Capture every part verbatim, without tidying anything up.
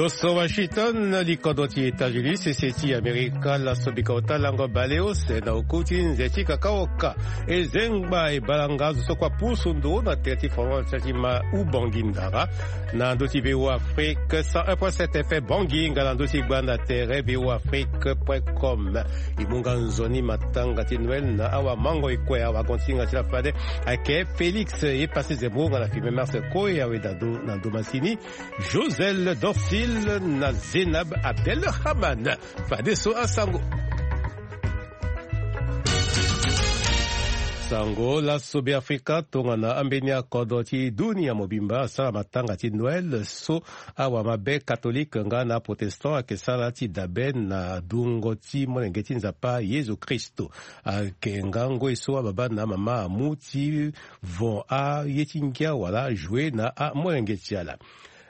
Lo so Washington, li kodro ti États-Unis, sese ti Amerika, laso bika ota lango baleuse na oku ti nze ti kakaoka. E zengba e balanga azo so kua pusu nduru na tere ti fondement ti ma Ubangui Ndara. Na ndö ti V O A Afrique cent un point sept F M Bangui, nga na ndö ti gbanda tere V O A Afrique point com. E mu nga nzoni matanga ti Noël na awamango e kue awagontinga ti la fade. Ayeke Félix Epassi Zembo nga na Firmin Mars Koe awe na ndo, na ndo masini. Josel Dorsil na Zénab Abdelrahman. Fadeso asango. Sango laso Beafrika tongana ambeni akodro ti dunia mobimba asara matanga ti Noël so awamabe katolike nga na protestant ayeke sara ti dabe na dungo ti molenge ti Nzapa Yezu Kristo. Ayeke nga ngoi so ababa na amama amu ti von aye ti ngia wala ajoue na amolenge ti ala.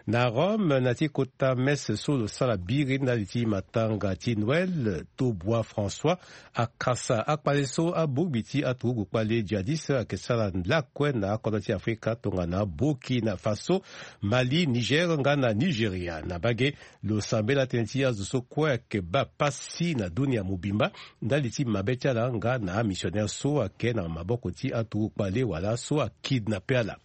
Na Rome, na ti kota messe so lo sara biri ndali ti matanga ti Noël, Tobua François akasa akpale so abongbi ti aturugu kpale djihadiste ayeke sara lakue na akodro ti Afrika tongana Burkina Faso, Mali, Niger nga na Nigeria. Na bage, lo sambela tënë ti azo so kue ayeke baa pasi na dunia mobimba ndali ti mabe ti ala nga na amissionnaire so ayeke na maboko ti aturugu kpale wala so akidnape ala.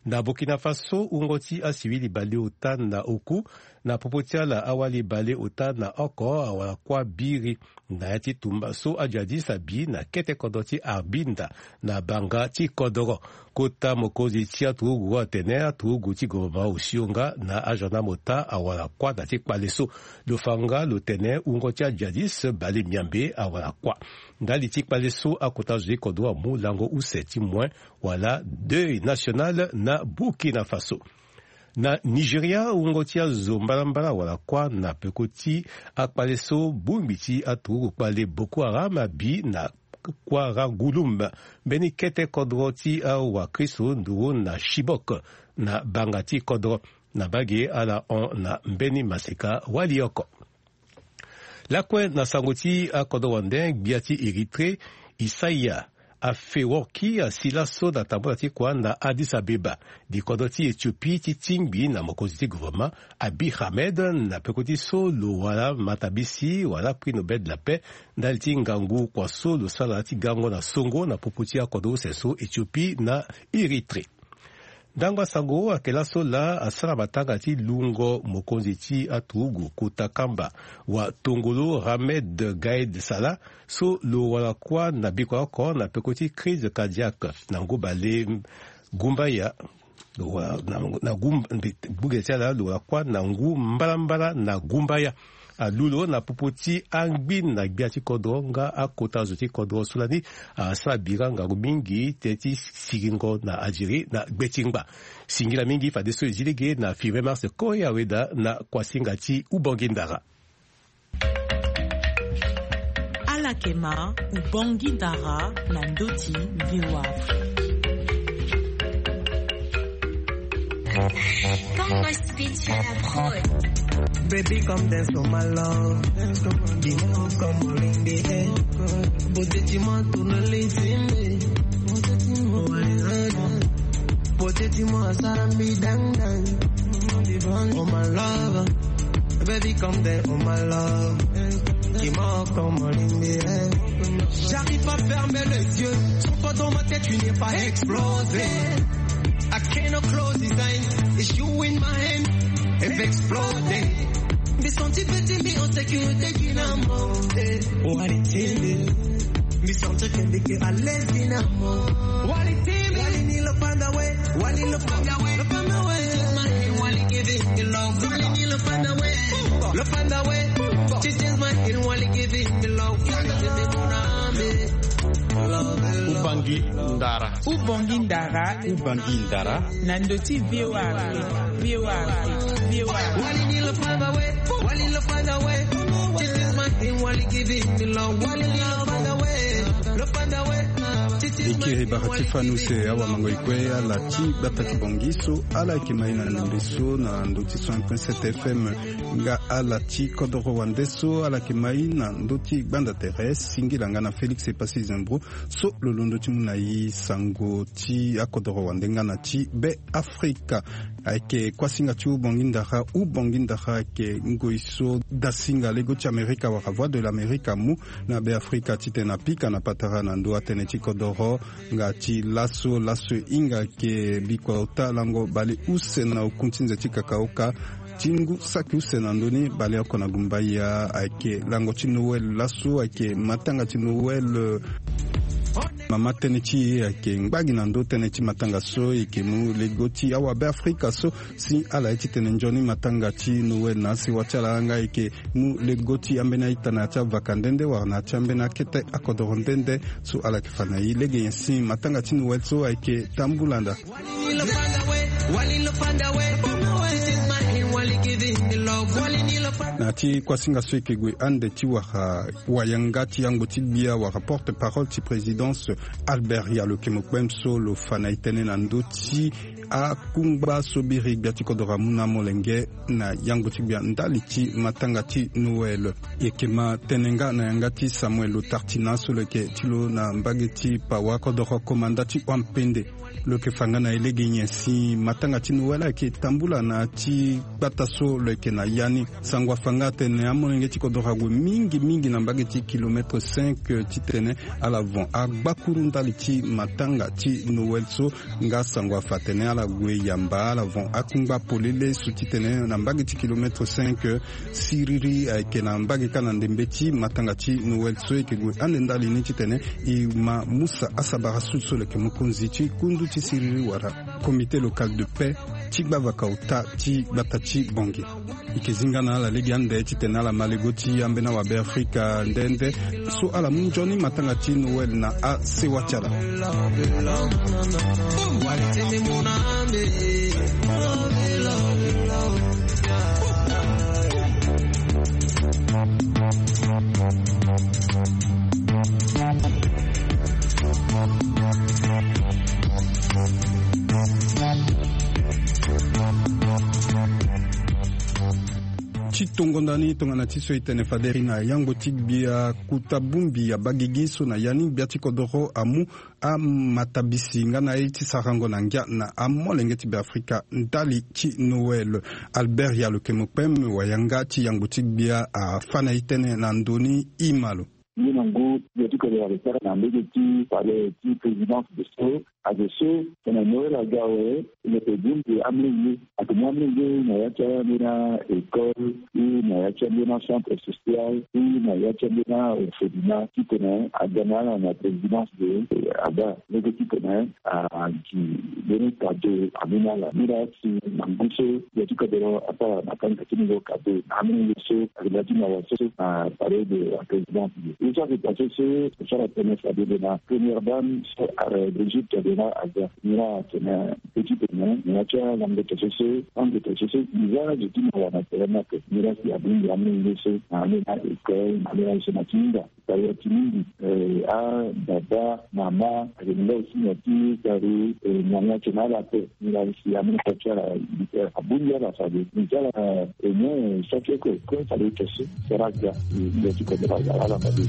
Na Burkina Faso, wungo ti asivili baleota na oku, na popo ti ala awali baleota na oko awara kuâ biri na ya ti tumba so ajihadiste abi na kete kodro ti Arbinda na banga ti kodoro. Kota mokonzi ti aturugu atene aturugu ti gouvernement osio nga na agendarme ota awara kuâ na ti kpale so. Lo fa nga lo tene wungo ti ajihadiste bale miambe awara kuâ. Ndali ti kpale so akota zo ti kodro amu lango use ti moin wala deuil national na Burkina Faso. Na Nigeria, wungo ti azo mbalambala awara kuâ na peko ti akpale so bongbi ti aturugu kpale Boko Haram abi na Kwaragulum, mbeni kete kodro ti awakristo nduru na Chibok na banga ti kodro. Na bage ala hon na mbeni maseka wali oko. Lakue na sango ti akodro wande, gbia ti Érythrée, Isaiah Afeworki asi laso na tambula ti kua na Addis Abeba. Di kodro ti Éthiopie ti tingbi na mokonzi ti gouvernement Abiy Ahmed na peko ti so lo wara matabisi wala prix Nobel de la paix ndali ti ngangu kua so lo sara ti gango na songo na popo ti akodro use so Éthiopie na Érythrée. Ndango asango ayeke laso laa asara matanga ti lungo mokonzi ti aturugu kota kamba wa tongolo Ramed Gaid Salah so lo wara kuâ na bikua oko na peko ti crise cardiaque na ngu bale gumbaya. Lo wara na, na gum-, mbi-, buge ti ala lo wara kuâ na ngu mbalambala na gumbaya. Alu lo na popo ti angbin na gbia ti kodro nga akota zo ti kodro so lani asara bira ngangu mingi tënë ti siringo na Algérie na gbe ti ngba. Singila mingi fadeso e zi lege na Firmin Mars Koe Aweda na kuasinga ti Ubongi Ndara. Alakema, Ubongi Ndara na ndö ti V O A Afrique. Panga Speech à la prod. Baby, come dance for my love. Give me come on in the air. Beauté, tu m'as tourné les yeux. Beauté, tu m'as sarami dang dang. Oh my love, baby, come there, oh my love. Dis-moi comment l'aimer. J'arrive pas à fermer les yeux. Sans toi dans ma tête, tu n'es pas explosé. I cannot close his eyes. It's you in my hand. If exploding. Be something between me and security, you know. What it is. Mi santi ke mbi ke à l'aise finalement. Wali ti mbi. Wali ni lo panda we. Wali lo panda we. Lo panda we. Wali give it the love. Wali ni lo panda we. Lo panda we. She changed my head. Wali give it the love. Wali give it the love. Love, love. Ubangi Ndara. Ubangi Ndara. Ubangi Ndara. Na ndö ti V O A Afrique. V O A Afrique. V O A Afrique. Wali ni lo panda we. Wali lo panda we. This is my thing. Wali give it the love. Wali ni lo panda we. Lo panda we. E kiri bara ti fani use awamango e kue ala ti gbata ti Bangui so ala yeke mai na ndembe so na ndö ti cent un point sept F M, nga ala ti kodoro wande so ala yeke mai na ndö ti gbanda tere, singila nga na Félix Epassi Zembro so lo londo ti mu na e sango ti akodoro wande nga na ti Be Afrika. Ayeke kuasinga ti Ubongi Ndara. Ubongi Ndara ayeke ngoi so dasinga lego ti Amerika wala Voix de l'Amérique amu na Be Afrika titene apika na patara na ndö atënë ti kodoro nga ti laso. Laso e hinga ayeke bikua ota lango bale use na oku ti nze ti kakaoka ti ngu saki use na ndö ni baleoko na gumbaya. Ayeke lango ti Noël. Laso ayeke matanga ti Noël. Mama tënë ti e ayeke ngbagi na ndö tënë ti matanga so e yeke mu lego ti awabe Afrika so si ala ye titene nzoni matanga ti Noël na asewa ti ala nga e yeke mu lego ti ambeni a-ita na ya ti avaka nde nde wala na ya ti ambeni akete akodoro nde nde so ala yeke fa na e lege nyen si matanga ti Noël so ayeke tambula nda. Na ya ti kuasinga so e yeke gue ande ti wara wayanga ti yangbo ti gbia wala porte parole ti présidence Albert Yalo Kemokpem so lo fa na e tënë na ndö ti akungba so biri gbia ti kodoro amu na amolenge na yangbo ti gbia ndali ti matanga ti Noël. E yeke ma tënë nga na yanga ti Samuel Lo Tartina so lo yeke ti lo na mbage ti pawa kodoro komanda ti Wampende. Lo yeke fa nga na e lege nyen si matanga ti Noël ayeke tambula na ya ti gbata so lo yeke na ya ni. Sango afa nga atene amolenge ti kodoro ague mingi mingi na mbage ti kilomètre cinq titene ala von agbakuru ndali ti matanga ti Noël so. Nga sango afa atene ala gue yamba ala von akungba polele so titene na mbage ti kilomètre cinq siriri ayeke na mbage kâ na ndembe ti matanga ti Noël so e yeke gue ande ndali ni titene e ma mu sa asabara so so lo yeke mokonzi ti kundu ti siriri wala comité local de paix ti gbavaka ota ti gbata ti Bangui. E yeke zi nga na ala lege ande titene ala ma lego ti ambeni awabe Afrika nde nde so ala mu nzoni matanga ti Noël na asewa ti ala. Ti tongo ndani tongana ti so e tene fade ri na yangbo ti gbia kuta bongbi ya bagigi so na ya ni gbia ti kodoro amu amatabisi nga na aye ti sarango na ngia na amolenge ti Beafrika ndali ti Noël. Albert Yalo Kemokpem, wayanga ti yangbo ti gbia, afa na e tënë na ndö ni. Ima lo. Ngu na ngu, gbia ti kodoro ayeke sara na mbage ti palais ti présidence de so. Azo so tene Noël aga awe, e yeke bongbi amolenge. Ake mu amolenge na ya ti ambeni école ou na ya ti ambeni centre social ou na ya ti ambeni orphelinat titene aga na ala na présidence de, eh, aga lege titene, ah, gi mbeni cadeau amu na ala. Ni laa si na ngu so gbia ti kodoro asara na kanga ti mungo cadeau na amolenge so ayeke na ya ti mawa so na palais de la présidence de. Ye so ayeke passé so, so asara tënë fade lo na première dame so, eh, Brigitte Cordonna aga. Ni laa atene petit tene na ya ti alango to so so, lango to so so, iza zo ti mawa na tere ni ape. Ni laa si abongbi amolenge so na ambeni école, na ambeni aye so na ti hinga. Tara ti mingi, eh, ababa, mama, ayeke na nga aussi na ti tara, eh, nyango atene ala ape. Ni laa si amolenge ti ala, eh, abongbi ala fade. Ni ti ala, eh, nyen, eh, saki oko, eh, kue fade to so. Sera ga, eh, ndia ti kodoro aga ala fade.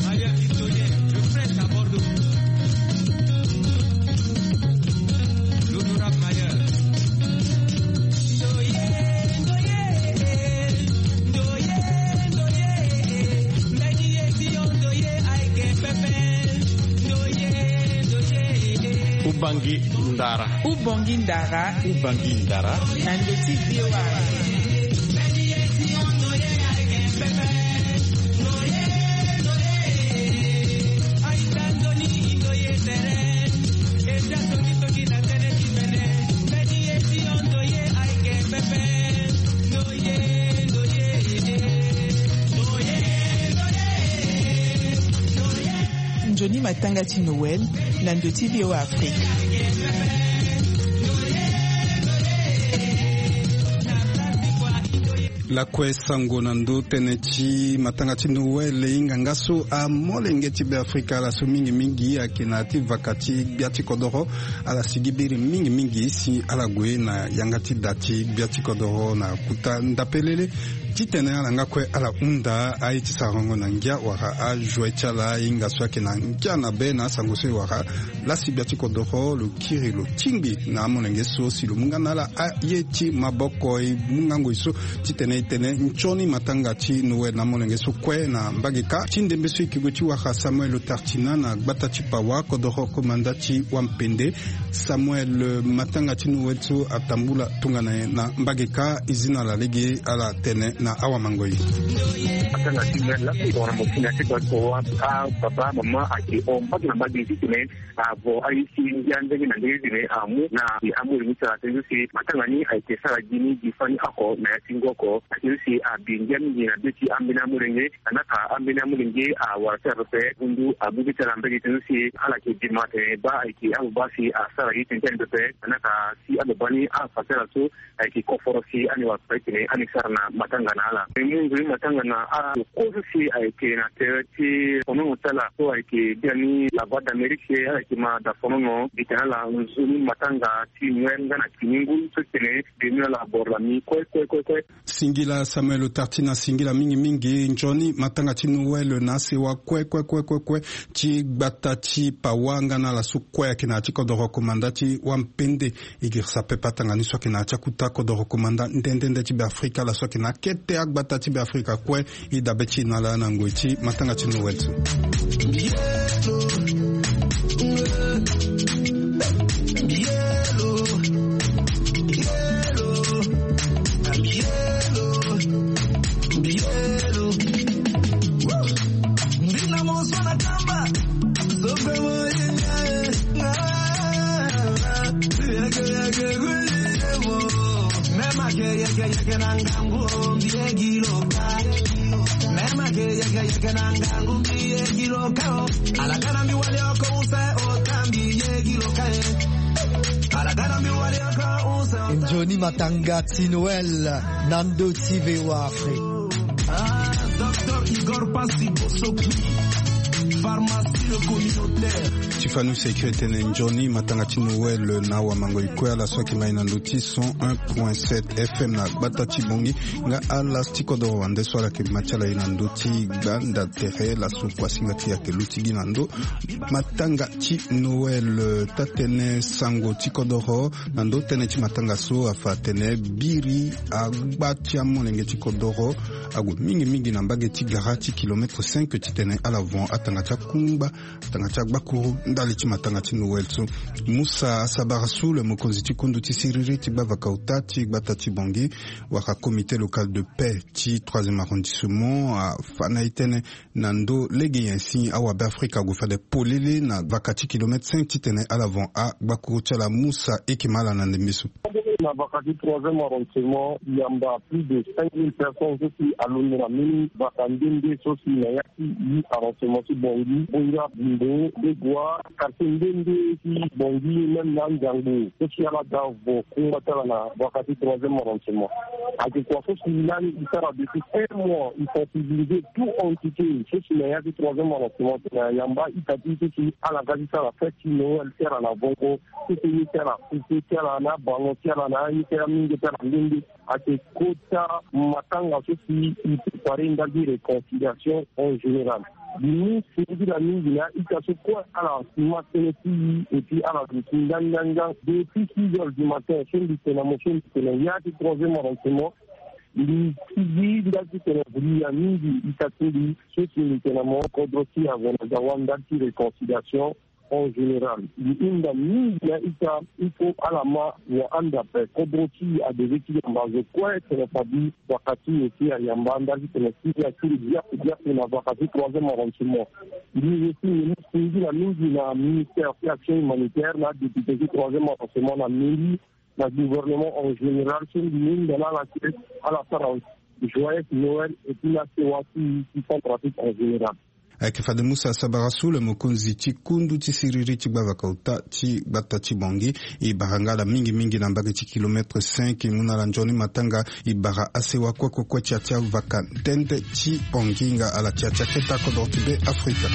Maria Victorien, le prince à Bordeaux. L'honorable Maria. Ubangi ndara. Ubangi ndara. Ubangi ndara. Na ndö ti V O A. Nzoni matanga ti Noël na ndö ti V O A Afrique. Lakue sango na ndö tënë ti matanga ti Noël, e hinga nga so amolenge ti Beafrika ala so mingi mingi ayeke na ya ti vaka ti gbia ti kodoro, ala sigi biri mingi mingi si ala gue na yanga ti da ti gbia ti kodoro na kuta ndapelele. Titene ala nga kue ala hunda aye ti sarango na ngia wala ajoie ti ala, e hinga so ayeke na ngia na be na asango so e wara. Lasi gbia ti kodoro lo kiri lo tingbi na amolenge so si lo mu nga na ala aye ti maboko, e mu nga ngoi so titene e tene nzoni matanga ti Noël na amolenge so kue na mbage kâ. Ti ndembe so e yeke gue ti wara Samuel Tartina na gbata ti Pawa, kodoro komanda ti Wampende. Samuel, matanga ti Noël so atambula tongana nyen na mbage kâ? E zi na ala lege ala tene na awamangoi. Matanga ti Noël laa si tongana mo si na ya ti gbata ti Pawa, apapa amama ayeke hon mbage na mbage titene avo aye ti ngia ndenge na ndenge titene amu na amolenge ti ala tënë so si matanga ni ayeke sara gi ni gi fani oko na ya ti ngu oko. Atënë so si abi ngia mingi na be ti ambeni amolenge. Anaka ambeni amolenge awara ti ala pepe, ngu ndu abu be ti ala mbage tënë so si ala yeke bima atene baa ayeke ababa si asara ye ti ngia ni pepe. Anaka si ababa ni afa ti ala so ayeke koforo si ani wara pepe titene ani sara na matanga na ala. E mu nzoni matanga na ala kue so si ayeke na tere ti fonono ti ala so ayeke bia ni La Voix d'Amérique, ala yeke ma da fonono gi tene ala nzoni matanga ti Noël nga na kini ngu so titene beno ni ala boro lami kue kue kue kue. Singila Samuel Tartina, singila mingi mingi. Nzoni matanga ti Noël na asewa kue kue kue kue kue ti gbata ti Pawa nga na ala so kue ayeke na ya ti kodoro komanda ti Wampende. E girisa pepe atanga ni so ayeke na ya ti akuta kodoro komanda nde nde nde ti Beafrika, ala so ayeke na akete agbata ti Beafrika kue. E dabe ti e na ala na ngoi ti matanga ti Noël so. Nzoni matanga ti Noël na ndö ti V O A Afrique. Ah, Docteur Igor Passi Bosoki, pharmacie le communautaire. Ti fani use kiri tene nzoni matanga ti Noël na awamangoi kue, ala so ayeke ma e na ndö ti cent un point sept F M na gbata ti Bangui, nga ala ti kodoro wande so ala yeke ma ti ala e na ndö ti gbanda tere, laso kuasinga ti e ayeke luti gi na ndö matanga ti Noël. Taa-tënë sango ti kodoro na ndö tënë ti matanga so afa atene biri agba ti amolenge ti kodoro ague mingi mingi na mbage ti gara ti kilomètre cinq titene ala von atanga ti akungba, atanga ti agbakuru ndali ti matanga ti Noël so. Musa Sabara Soule, mokonzi ti kundu ti siriri ti gbavaka ota ti gbata ti Bangui, wala comité local de paix ti troisième arrondissement, afa na e tënë na ndö lege nyen si awabeafrika ague fade polele na vaka ti kilomètre cinq titene ala von agbakuru ti ala. Musa, e yeke ma ala na ndembe so. Na vaka ti troisième arrondissement, yamba plus de cinq mille personnes so si alondo na mbeni vaka nde nde so si na ya ti huit arrondissement ti Bangui, Bonga, Bimbo, Begoua, quartier nde nde ti Bangui, même na Andiango, so si ala daa vo kungba ti ala na vaka ti troisième arrondissement. Ayeke kua so si lani e sara depuis un mois, e sensibiliser tout entité so si na ya ti troisième arrondissement titene ayamba ita ti e so si ala ga ti sara fête ti Noël ti ala na vongo, ti tënë ti ala, ti ala na abango ti ala na aye ti ala mingi ti ala nde nde. Ayeke kota matanga so si e préparer ndali ti réconciliation en général. Mbi mu singila mingi na a-ita so kue ala ma tënë ti e, et puis ala duti ngangangan. Depuis six heures du matin so mbi tene na mo, so mbi tene na ya ti troisième arrondissement, mbi sigi ndali ti tene vuli ya mingi ita ti mbi so si mbi tene na mo, kodro ti e ague na dawa ndali ti réconciliation en général. Mbi hunda mingi na a-ita, il faut ala ma wa ande ape. Kodro ti e adeve ti yamba zo kue tene fade vaka ti e si ayamba ndali ti tene si akiri biaku biaku na vaka ti troisième arrondissement. Mbi aussi mbi mu singila mingi na ministère ti action humanitaire na adéputé ti troisième arrondissement na mairie na gouvernement en général so mbi hunda na ala si ala sara joyeux Noël et puis na sewa ti e ti Centrafrique en général. Ayeke fade mu sara sabara so le mokonzi ti kundu ti siriri ti gbavaka ota ti gbata ti Bangui. E bara nga ala mingi mingi na mbage ti kilomètre cinq. E mu na ala nzoni matanga. E bara asewa kue kue kue ti ya ti avaka tënë ti Bangui nga ala ti ya ti aketa kodro ti Be Afrika.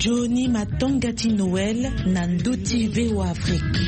Nzoni matanga ti Noël na ndö ti V O A Afrique.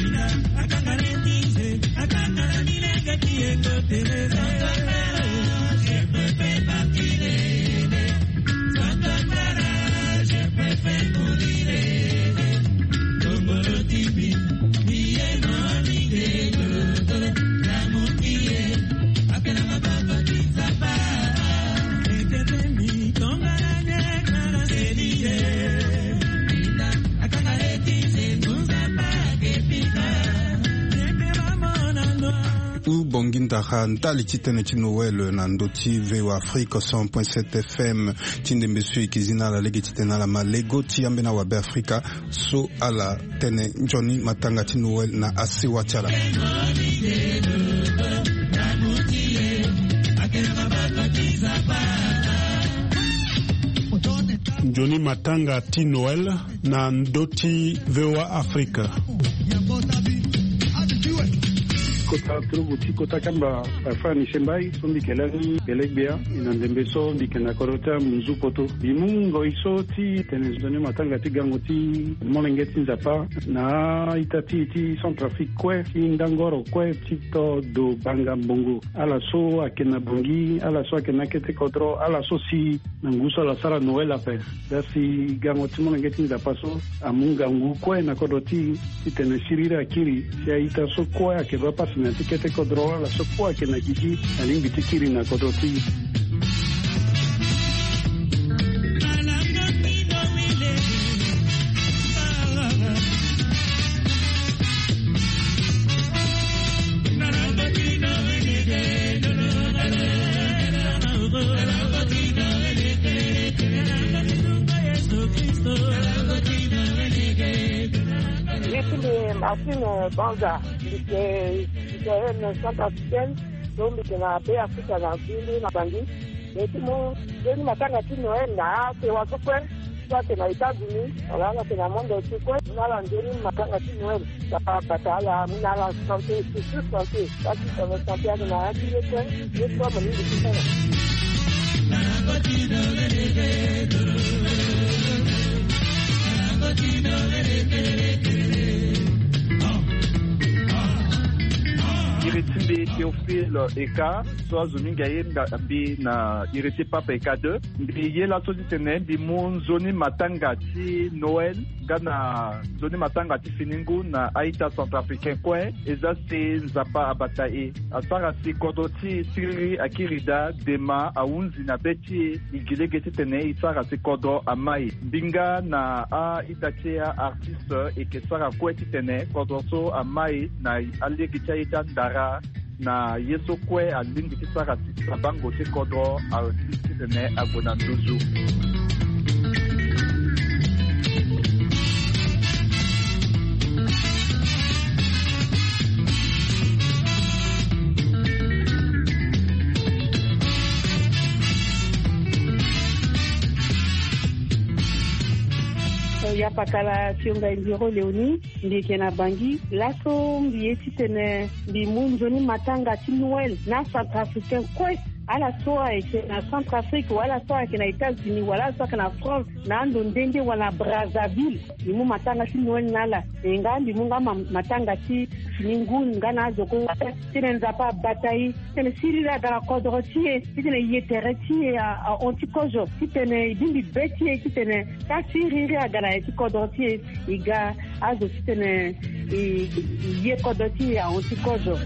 Hubongi ndara ndali ti tënë ti Noël na ndö ti V O A Afrique cent point sept F M. Ti ndembe so e yeke zi na ala lege titene ala ma lego ti ambeni awabe Afrika so ala tene nzoni matanga ti Noël na asewa ti ala. Nzoni matanga ti Noël na ndö ti V O A Afrika. Kota turugu ti kota kamba, eh, Fanny Sembai, so mbi yeke lani bele gbia, e na ndembe so mbi yeke na kodro ti amunzu poto. Mbi mu ngoi so ti tene nzoni matanga ti gango ti molenge ti Nzapa na a-ita ti e ti Centrafrique kue, ti ndangoro kue ti to do banga mbongo. Ala so ayeke na Bangui, ala so ayeke na akete kodro, ala so si na ngu so ala sara Noël ape. Dasi gango ti molenge ti Nzapa so amu ngangu kue na kodro ti e, titene siriri akiri, si a-ita so kue ayeke baa pasi na ya ti kete kodro, ala so kue ayeke na gigi, alingbi ti kiri na kodro ti e. Mbi ti mbi Martine Banza, mbi yeke citoyenne centrafricaine, so mbi yeke na Be Afrika na Bindi na Bangui. Mbi ti mu nzoni matanga ti Noël na asewa so kue, so ayeke na États-Unis wala ala yeke na monde entier kue. Mu na ala nzoni matanga ti Noël. Nzapa abata ala, mu na ala santé, surtout santé. Parce que santé ayeke na ya ti ye kue, ye kue mo lingbi ti sara. Iri ti mbi Théophile Eka, so azo mingi aye nga mbi na iri ti Pape Eka deux. Mbi ye laso titene mbi mu nzoni matanga ti Noël nga na nzoni matanga ti fini ngu na a-ita centrafricain kue. E za si Nzapa abata e, asara si kodro ti e siriri akiri daa, dema ahunzi na be ti e, e gi lege titene e sara si kodro amai. Mbi nga na a-ita ti e a-artiste e yeke sara kue titene kodro so amai na alege ti aye ti andara. Na ye so kue alingbi ti sara si sabango ti kodro ahuti titene ague na nduzu. Ya pakala ti yo ngai Ndiro Léonie. Mbi yeke na Bangui. Laso mbi ye titene mbi mu nzoni matanga ti Noël na centrafricain kue. Ala so ayeke na Centrafrique, wala ala so ayeke na États-Unis, wala ala so ayeke na France, na ando nde nde wala na Brazzaville, mbi mu matanga ti Noël na ala. E nga mbi mu nga ma-, matanga ti fini ngu nga na azo kue. Titene Nzapa abata e, titene siriri aga na kodro ti e, titene ye tere ti e a, ahon ti kozo, titene e bongbi be ti e, titene ka siriri aga na ya ti kodro ti e. E ga azo titene e, e ye kodro ti e ahon ti kozo.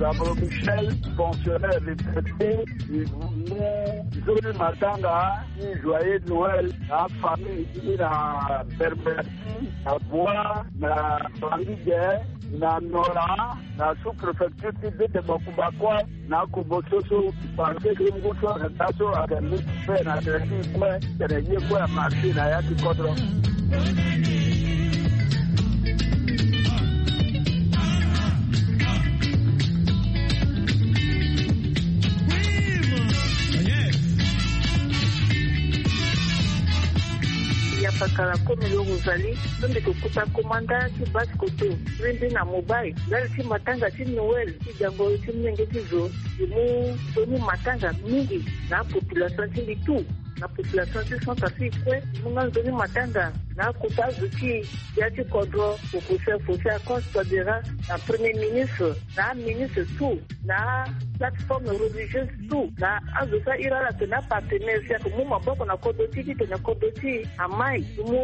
Gabriel Michel, fonctionnaire retraité, il voulait joyeux matanga, joyeux Noël, la famille, il a permis na Bois, na Bangui, na Nola, na sous-préfecture ti Bete Bakuba kue, na Kobo so so, parce que ngu so ayeke daa so ayeke mu fe na tene ti kue, tene ye kue amarché na ya ti kodro. Ya pakala kue mbi lo Rosalie, so mbi yeke kota komanda ti base koto. Mbi mbi na mobile ndali ti matanga ti Noël ti gango ti molenge ti zo. Mbi mu nzoni matanga mingi na apopulation ti mbi tout, na population ti Centrafrique kue. Mbi mu nga nzoni matanga na akota azo ti ya ti kodro, professeur Faustin Archange Touadéra, na premier ministre, na aministre tout, na plateforme religieuse tout, na azo so ahiri ala tene apartenaire si ayeke mu maboko na kodro ti e titene kodro ti e amai. Mbi mu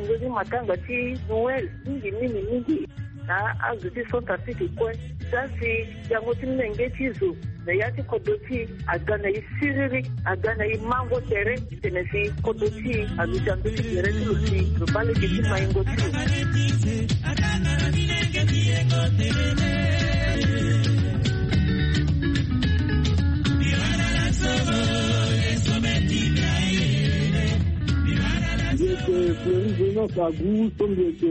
nzoni matanga ti Noël mingi mingi mingi na azo ti Centrafrique kue. Za si yango ti molenge ti zo na ya ti kodro ti e aga na e siriri, aga na e mango tere, titene si kodro ti e aluti ando ti gere ti lo si lo baa lege ti maingo ti lo. Mbi yeke Fleury Venance Agu, so mbi yeke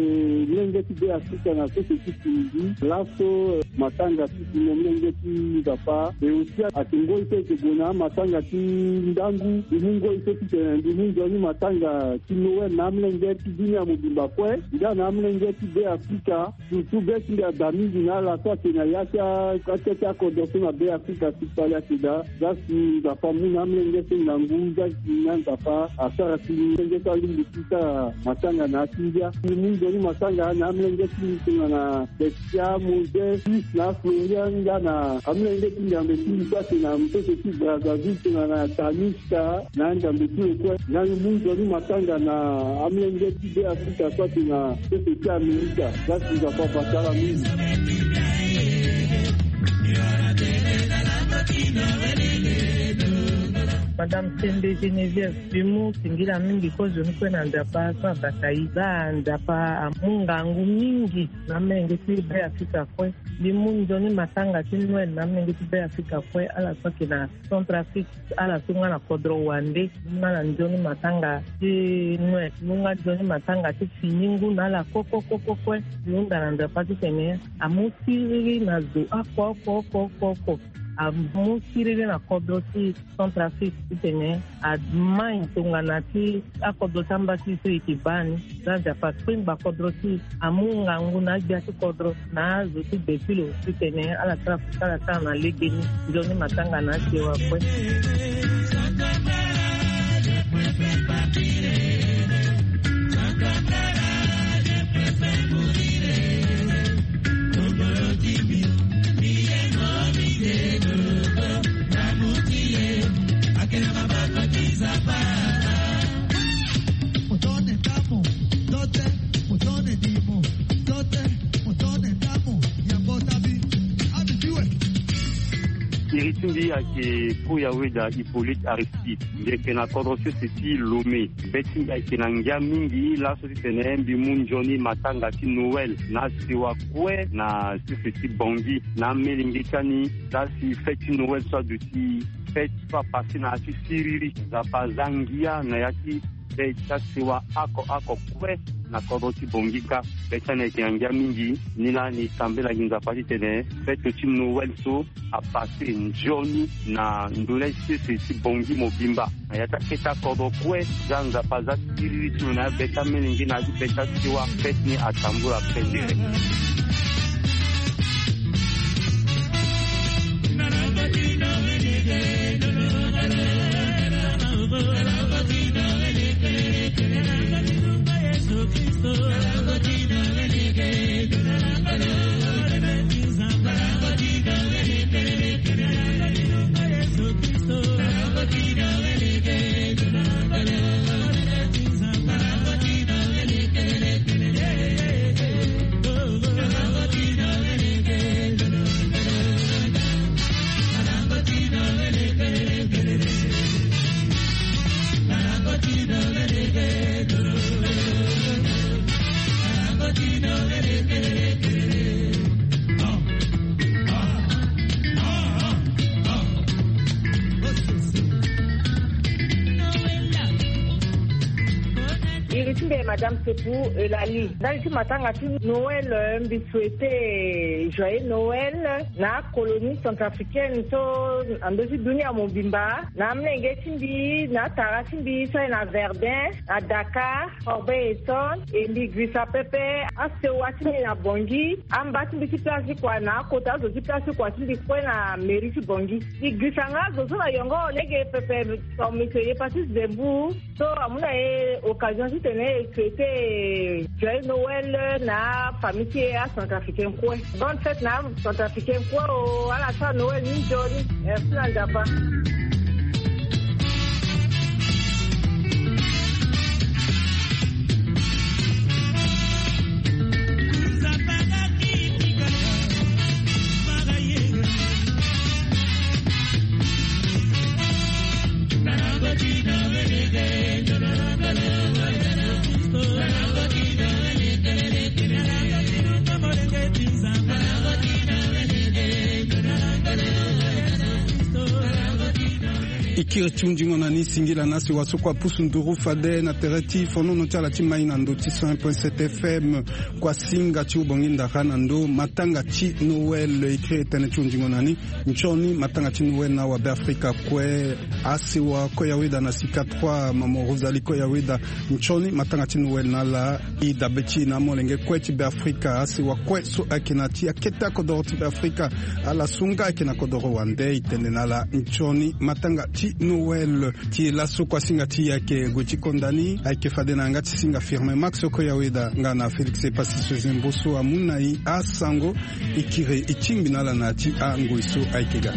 molenge ti Be Afrika na sese ti Tunisie. Laso, eh, matanga ti si mo molenge ti Nzapa. E aussi ayeke ngoi so e yeke gue na amatanga ti ndangu. Mbi mu ngoi so titene mbi mu nzoni matanga ti Noël na amolenge ti dunia mobimba kue, nga na amolenge ti Be Afrika. Surtout be ti mbi ada mingi na ala so ayeke na ya ti a, atia ti akodro so na Be Afrika ti kpale ayeke daa. Za si Nzapa amu na amolenge so ngangu, za si na Nzapa asara si molenge so alingbi ti sara matanga na ya ti ngia. Mbi mu nzoni matanga na amolenge ti mbi tongana Bestia, Moses, Fils na Florian, nga na amolenge ti Nzambe ti mbi so ayeke na sese ti Brazzaville tongana Tanis. Ka na ndambe ti lo kue. Nga mbi mu nzoni matanga na amolenge ti Be Afrika so ayeke na sese ti Amerika. Za si Nzapa abata ala mingi. Madame Sembe Geneviève, mbi mu singila mingi kozo ni kue na Nzapa so abata e. Za Nzapa amu ngangu mingi na amolenge ti Be Afrika kue. Mbi mu nzoni matanga ti Noël na amolenge ti Be Afrika kue, ala so ayeke na Centrafrique, ala so nga na kodro wande, nga na nzoni matanga ti Noël, nga nzoni matanga ti fini ngu na ala kue kue kue kue kue. Mbi hunda na Nzapa titene amu siriri na zo oko oko oko oko oko. Amu siriri na kodro ti Centrafrique titene amai tongana ti akodro ti amba ti e so e yeke baa ni. Za Nzapa akpengba kodro ti e, amu ngangu na agbia ti kodro, na azo ti gbe ti lo titene ala sara, ala sara na legeni. Nzoni matanga na asewa kue. Iri ti mbi ayeke Koya Weda Hippolyte Aristide. Mbi yeke na kodro sese ti Lomé. Be ti mbi ayeke na ngia mingi laso titene mbi mu nzoni matanga ti Noël na sewa kue na sese ti Bangui na amelenge ti ani. Za si fête ti Noël so aduti, fête so apasse na ya ti siriri. Nzapa aza ngia na ya ti be ti asewa oko oko kue. Na kodro ti Bangui kâ, be ti ala ayeke na ngia mingi. Ni laa ni tambela gi Nzapa titene fête ti Noël so apasse nzoni na ndö ni sese ti Bangui mobimba. Na ya ti akete akodro kue, za Nzapa aza siriri ti lo na ya be ti amelenge na ya ti be ti asiwa, fête ni atambula pendere. Iri ti mbi Madame Sepu Eulalie. Ndali ti matanga ti Noël, mbi souhaite joyeux Noël na colonie centrafricaine so na ndö ti dunia mobimba, na amolenge ti mbi, na atara ti mbi so aye na Verdun, na Dakar, Corbeil-Essonnes, e mbi girisa pepe asewa ti mbi na Bangui, amba ti mbi ti place ti kua na akota azo ti place ti kua ti mbi kue na mairie ti Bangui. Mbi girisa nga azo so na yongo lege pepe, comme monsieur Hépatite Zembour, so amu na e occasion titene e souhaite joyeux Noël na afamille ti e acentrafricain kue. Bonne fête na acentrafricain kue o, ala sara Noël ni nzoni. Merci na Nzapa. E kiri ti hundingo na ni, singila na asewa so kue apusu nduru fade na tere ti fonono ti ala ti mai na ndo ti cent point sept F M. Kua singa ti ubongi ndara na ndo matanga ti Noël. E kiri tënë ti hundingo na ni. Nzoni matanga ti Noël na awabe Afrika kue, asewa kue ya weda na sika trois, mama Rosalie kue ya weda. Nzoni matanga ti Noël na ala. E dabe ti e na amolenge kue ti Beafrika, asewa kue so ayeke na ti akete akodoro ti Beafrika, ala so nga ayeke na kodoro wande, e tene na ala nzoni matanga ti Noël. Ti e laso kua singa ti e ayeke gue ti konda ni, ayeke fade na yanga ti singa Firmin Max so kue ya weda nga na Félix Epassis Zembo so amu na e asango. E kiri e tingbi na ala na ya ti angoi so ayeke ga.